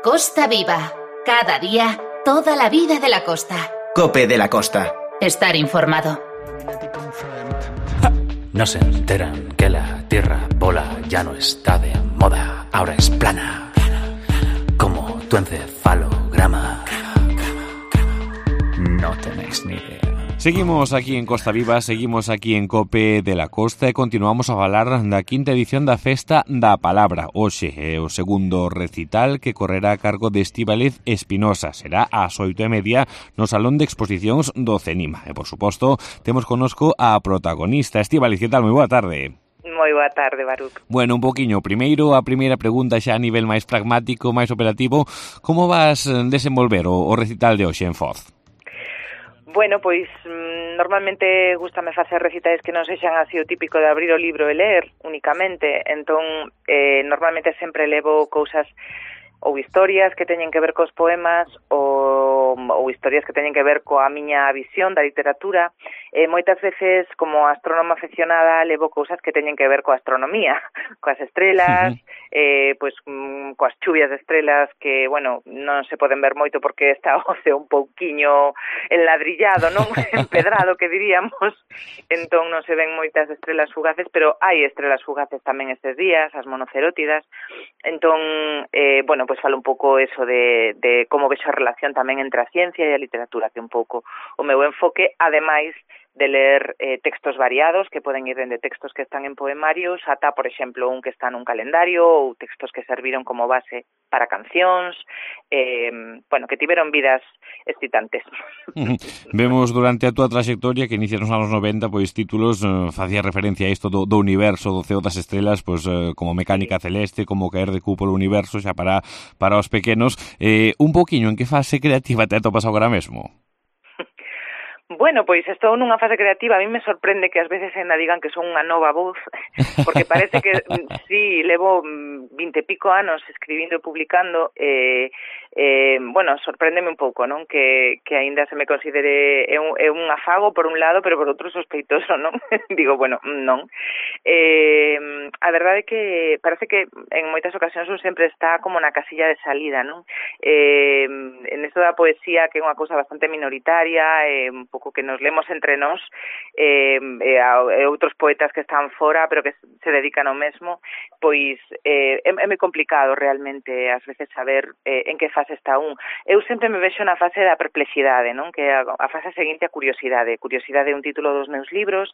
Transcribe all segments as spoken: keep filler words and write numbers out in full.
Costa Viva. Cada día, toda la vida de la costa. COPE de la Costa. Estar informado. No se enteran que la tierra bola ya no está de moda, ahora es plana, como tu encefalograma. No tenéis ni idea. Seguimos aquí en Costa Viva, seguimos aquí en COPE de la Costa e continuamos a falar da quinta edición da Festa da Palabra. Hoxe é o segundo recital que correrá a cargo de Estíbaliz Espinosa. Será ás oito e media no Salón de Exposicións do CENIMA. E, por suposto, temos connosco a protagonista. Estíbaliz, que tal? Moi boa tarde. Moi boa tarde, Baruc. Bueno, un poquinho. Primeiro, a primeira pregunta xa a nivel máis pragmático, máis operativo. Como vas desenvolver o, o recital de hoxe en Foz? Bueno, pois normalmente gústame facer recitais que non sexan así o típico de abrir o libro e ler únicamente, entón eh, normalmente sempre levo cousas ou historias que teñen que ver cos poemas ou, ou historias que teñen que ver coa miña visión da literatura. E moitas veces, como astrónoma aficionada, levo cousas que teñen que ver coa astronomía, coas estrelas, uh-huh. eh, pois mm, coas chuvias de estrelas que, bueno, non se poden ver moito porque está o ceo un pouquiño enladrillado, non? Empedrado, que diríamos. Entón non se ven moitas estrelas fugaces, pero hai estrelas fugaces tamén estes días, as monocerótidas. Entón, eh, bueno, pois falo un pouco eso de, de como vexo a relación tamén entre a ciencia e a literatura, que un pouco o meu enfoque, ademais de ler eh, textos variados que poden ir dende textos que están en poemarios ata, por exemplo, un que está nun calendario ou textos que serviron como base para cancións, eh, bueno, que tiveron vidas excitantes. Vemos durante a túa trayectoria que inicia nos anos noventa, pois títulos eh, facía referencia a isto do, do universo, do ceo das estrelas, pois eh, como Mecánica Celeste, como Caer de cu polo universo, xa para para os pequenos. Eh, un poquinho, en que fase creativa te atopas agora mesmo? Bueno, pois estou nunha fase creativa. A mí me sorprende que ás veces ainda digan que son unha nova voz, porque parece que, sí, levo vinte e pico anos escribindo e publicando, e, eh, bueno, sorpréndeme un pouco, non? Que, que aínda se me considere é un, é un afago por un lado, pero por outro sospeitoso, non? Digo, bueno, non. Eh, a verdade é que parece que en moitas ocasións un sempre está como na casilla de salida, non? Eh, en isto da poesía, que é unha cousa bastante minoritaria, eh, un pouco que nos lemos entre nós, eh, e, a, e outros poetas que están fora, pero que se dedican ao mesmo, pois eh, é, é moi complicado realmente ás veces saber eh, en que fase está un. Eu sempre me vexo na fase da perplexidade, non? Que a, a fase seguinte a curiosidade. Curiosidade é un título dos meus libros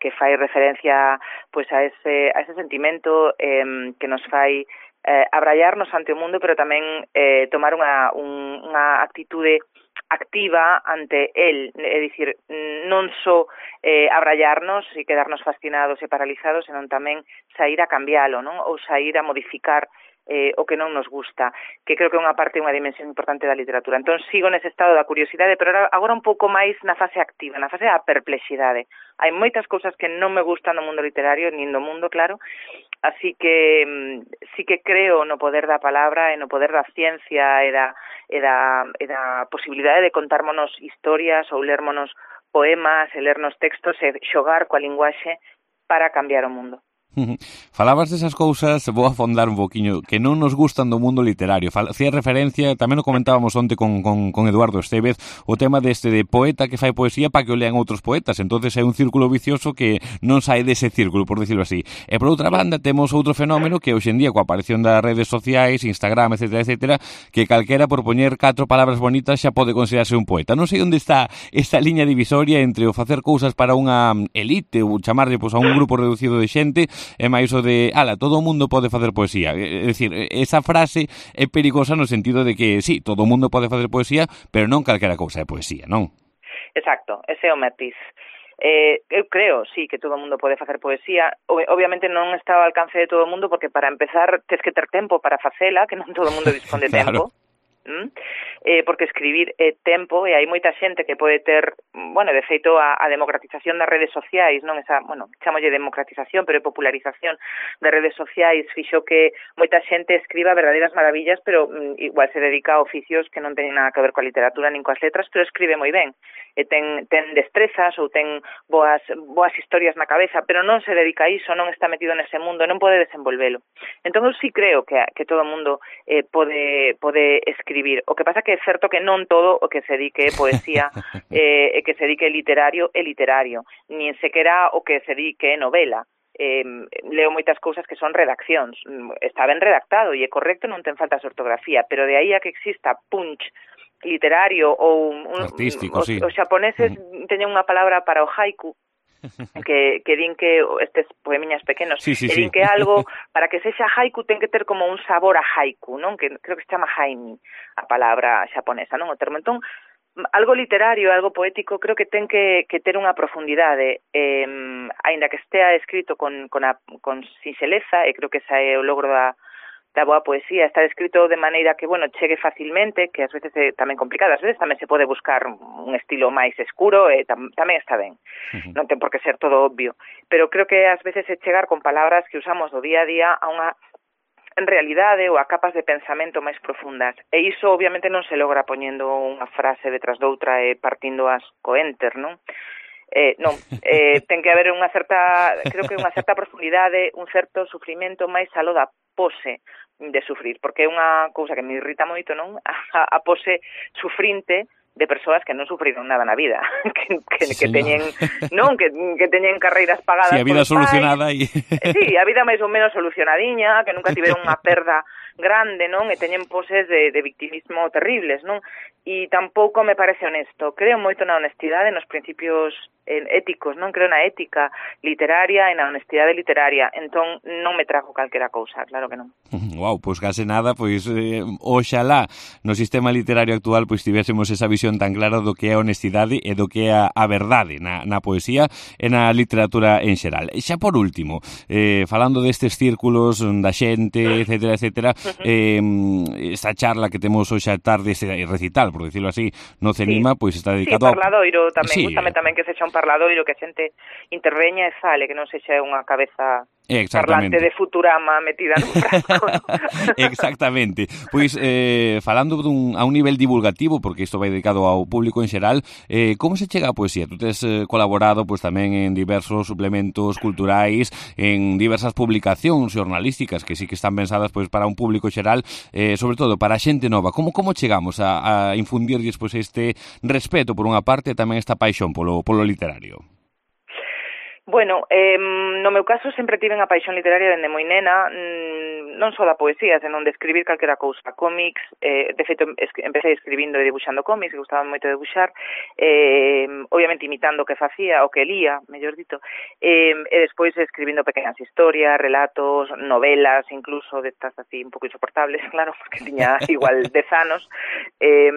que fai referencia pois a ese, a ese sentimento eh, que nos fai eh, abrallarnos ante o mundo, pero tamén eh, tomar unha, un, unha actitude activa ante el, é dicir, non só eh, abrallarnos e quedarnos fascinados e paralizados, senón tamén sair a cambialo, non? Ou sair a modificar eh, o que non nos gusta, que creo que é unha parte, unha dimensión importante da literatura. Entón sigo nese estado da curiosidade, pero agora un pouco máis na fase activa, na fase da perplexidade. Hai moitas cousas que non me gustan no mundo literario, nin do mundo, claro, así que sí que creo no poder da palabra e no poder da ciencia e da, e da, e da posibilidade de contármonos historias ou lermonos poemas e lernos textos e xogar coa linguaxe para cambiar o mundo. Falabas desas cousas, vou afondar un poquinho, que non nos gustan do mundo literario. Facía referencia, tamén o comentábamos onte con, con, con Eduardo Estevez, o tema deste de poeta que fai poesía para que o lean outros poetas. Entonces é un círculo vicioso que non sai dese círculo, por decirlo así. E por outra banda temos outro fenómeno que hoxe en día, coa aparición das redes sociais, Instagram, etcétera, etcétera, que calquera por poñer catro palabras bonitas xa pode considerarse un poeta. Non sei onde está esta liña divisoria entre o facer cousas para unha elite ou chamarlle pois, a un grupo reducido de xente é máis o de, ala, todo o mundo pode facer poesía. É dicir, esa frase é perigosa no sentido de que, sí, todo o mundo pode facer poesía, pero non calquera cousa é poesía, non? Exacto, ese é o matiz. Eh, eu creo, sí, que todo o mundo pode facer poesía. Obviamente non está ao alcance de todo o mundo, porque para empezar tes que ter tempo para facela, que non todo o mundo dispón de claro. tempo. ¿m? Eh, porque escribir é tempo e hai moita xente que pode ter, bueno, de feito a, a democratización das redes sociais, non esa, bueno, chamolle democratización, pero é popularización das redes sociais, fixo que moita xente escriba verdadeiras maravillas, pero mm, igual se dedica a oficios que non teñen nada que ver coa literatura nin coas letras, pero escribe moi ben, e ten, ten destrezas ou ten boas, boas historias na cabeza, pero non se dedica a iso, non está metido nese mundo, non pode desenvolvelo. Entón eu sí creo que, que todo o mundo eh, pode, pode escribir. O que pasa que é certo que non todo o que se dedique poesía eh, e que se dedique literario é literario, nin sequera o que se dedique novela. Eh, leo moitas cousas que son redaccións, está ben redactado e é correcto, non ten falta de ortografía, pero de aí a que exista punch literario ou un, artístico, os, sí. os xaponeses mm. teñen unha palabra para o haiku que, que din que estes poemiñas pequenos sí, sí, que din sí. que algo para que sexa haiku ten que ter como un sabor a haiku, non? Que creo que se chama haimi a palabra xaponesa, non? O termo. Entón, algo literario, algo poético, creo que ten que, que ter unha profundidade, eh, aínda que estea escrito con, con, a, con sinxeleza, e creo que esa é o logro da da boa poesía, está escrito de maneira que, bueno, chegue facilmente, que ás veces é tamén complicado, ás veces tamén se pode buscar un estilo máis escuro e tam, tamén está ben, uh-huh. Non ten por que ser todo obvio, pero creo que ás veces é chegar con palabras que usamos do día a día a unha en realidade ou a capas de pensamento máis profundas, e iso obviamente non se logra poñendo unha frase detrás doutra e partindo as co enter, non? Eh, non, eh, ten que haber unha certa, creo que unha certa profundidade, un certo sufrimento máis aló da pose de sufrir, porque é unha cousa que me irrita moito, non? A, a pose sufrinte de persoas que non sufriron nada na vida, que, que, sí, que teñen, non, que, que teñen carreiras pagadas. Si, sí, a vida solucionada e... Sí, a vida máis ou menos solucionadiña, que nunca tiveron unha perda grande, non? E teñen poses de, de victimismo terribles, non? E tampouco me parece honesto. Creo moito na honestidade, nos principios éticos, non? Creo na ética literaria e na honestidade literaria. Entón, non me trago calquera cousa, claro que non. Wow, pois case nada, pois eh, oxalá no sistema literario actual pois tivésemos esa visión tan clara do que é a honestidade e do que é a, a verdade na, na poesía e na literatura en xeral. E xa por último, eh, falando destes círculos da xente, etcétera, etcétera, eh, esta charla que temos hoxe a tarde, ese recital, por decirlo así, no CENIMA, sí. Pois está dedicado sí, parladoiro tamén, sí. Gústame tamén que sexa un parladoiro, que a xente interveña e fale, que non sexa unha cabeza parlante de Futurama metida nun frasco. Exactamente. Pois, eh, falando dun, a un nivel divulgativo, porque isto vai dedicado ao público en xeral, eh, como se chega a poesía? Tú tes eh, colaborado pois tamén en diversos suplementos culturais, en diversas publicacións xornalísticas que sí que están pensadas pois para un público xeral, eh, sobre todo para a xente nova. Como como chegamos a, a infundirlles pois este respeto por unha parte e tamén esta paixón polo, polo literario? Bueno, eh, no meu caso sempre tive unha paixón literaria dende moi nena, non só da poesía, senón de escribir calquera cousa, cómics, eh, de feito empecé escribindo e dibuixando cómics, que gustaba moito de dibuixar, eh, obviamente imitando o que facía, o que lía, mellor dito, eh, e despois escribindo pequenas historias, relatos, novelas, incluso destas así un pouco insoportables, claro, porque tiña igual dez anos, eh,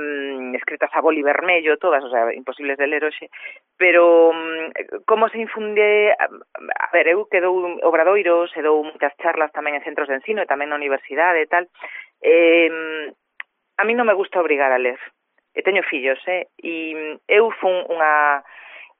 escritas a boli vermello, todas, o sea, imposibles de ler hoxe, pero como se infunde. A ver, eu que dou obradoiros e dou moitas charlas tamén en centros de ensino e tamén na universidade e tal, eh, a mí non me gusta obrigar a ler. E teño fillos, eh? E eu fun unha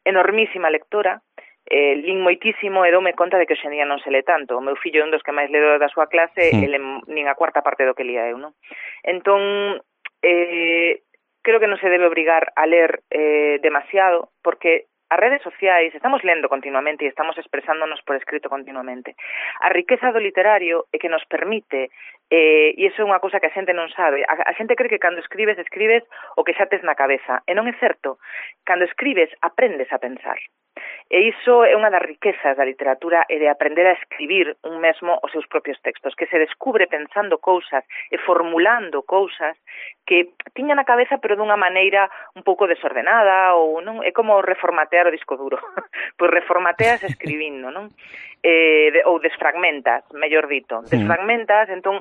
enormísima lectora, eh, lín moitísimo e doume conta de que hoxendía non se le tanto. O meu fillo é un dos que máis leo da súa clase, sí. Ele nin a cuarta parte do que lía eu, non? Entón, eh, creo que non se debe obrigar a ler eh, demasiado, porque as redes sociais, estamos lendo continuamente e estamos expresándonos por escrito continuamente. A riqueza do literario é que nos permite, eh, e iso é unha cousa que a xente non sabe, a, a xente cree que cando escribes, escribes o que xa tes na cabeza, e non é certo. Cando escribes, aprendes a pensar. E iso é unha das riquezas da literatura e de aprender a escribir un mesmo os seus propios textos, que se descubre pensando cousas e formulando cousas que tiña na cabeza pero dunha maneira un pouco desordenada, ou non é como reformatear o disco duro. Pois reformateas escribindo, non? Eh, de, ou desfragmentas, mellor dito. Desfragmentas, entón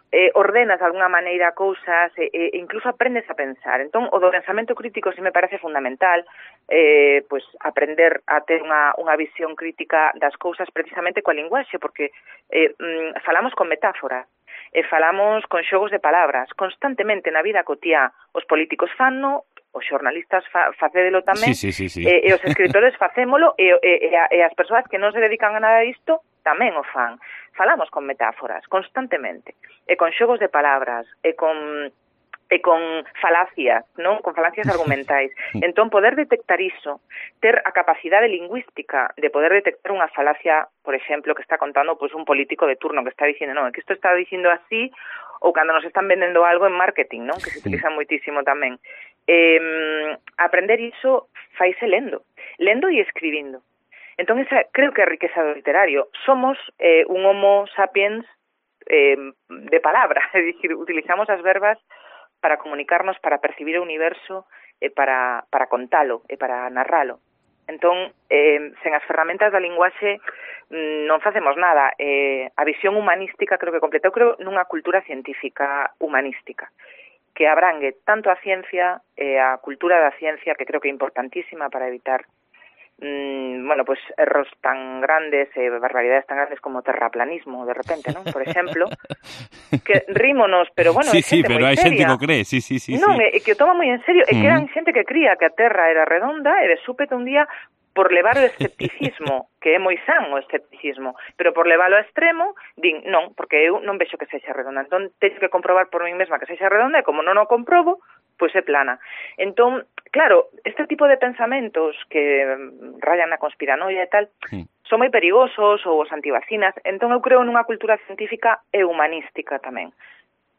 eh, ordenas de alguna maneira cousas e, e incluso aprendes a pensar. Entón, o do pensamento crítico si me parece fundamental, eh, pues, aprender a ter unha, unha visión crítica das cousas precisamente coa linguaxe, porque eh, mm, falamos con metáforas. e falamos con xogos de palabras constantemente na vida cotiá. Os políticos fanno, os xornalistas fa, facédelo tamén, sí, sí, sí, sí. E, e os escritores facémolo, e, e, e, a, e as persoas que non se dedican a nada disto tamén o fan. Falamos con metáforas constantemente, e con xogos de palabras, e con e con falacias, non? Con falacias argumentais. Entón, poder detectar iso, ter a capacidade lingüística de poder detectar unha falacia, por exemplo, que está contando pois, un político de turno que está dicindo, non, é que isto está dicindo así, ou cando nos están vendendo algo en marketing, non? Que se utiliza moitísimo tamén. Eh, aprender iso faise lendo, lendo e escribindo. Entón, esa creo que é a riqueza do literario. Somos eh, un homo sapiens eh, de palabra, é dicir, utilizamos as verbas para comunicarnos, para percibir o universo e para, para contalo e para narralo. Entón, eh, sen as ferramentas da linguaxe non facemos nada. Eh, a visión humanística creo que completa. Eu creo nunha cultura científica humanística que abrangue tanto a ciencia e a cultura da ciencia, que creo que é importantísima para evitar Mm, bueno, pues erros tan grandes, eh, barbaridades tan grandes como terraplanismo, de repente, ¿no? Por exemplo, que rímonos, pero bueno, sí, hai xente sí, pero moi hai seria. xente que o cree, sí, sí, sí. Non, sí. é que o toma moi en serio, é que eran xente que cría que a Terra era redonda e de súpeto un día por levar o escepticismo, que é moi san o escepticismo, pero por leválo a extremo, din, non, porque eu non vexo que sexa redonda, entón teño que comprobar por mí mesma que sexa redonda e como non o comprobo, pois é plana. Entón, claro, este tipo de pensamentos que rayan na conspiranoia e tal, sí, son moi perigosos, ou os antivacinas, entón eu creo nunha cultura científica e humanística tamén,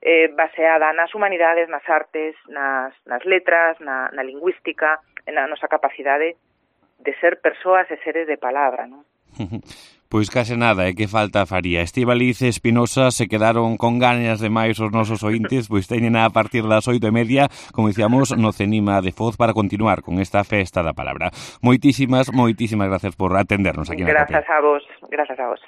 eh, baseada nas humanidades, nas artes, nas, nas letras, na, na lingüística, na nosa capacidade de ser persoas e seres de palabra, non? Pois case nada, é que falta faría. Estíbaliz e Espinosa se quedaron con ganas de máis os nosos ointes, pois teñen a partir das oito e media, como dicíamos, no Cenima de Foz para continuar con esta festa da palabra. Moitísimas, moitísimas gracias por atendernos aquí na Copia. Grazas a vos, grazas a vos.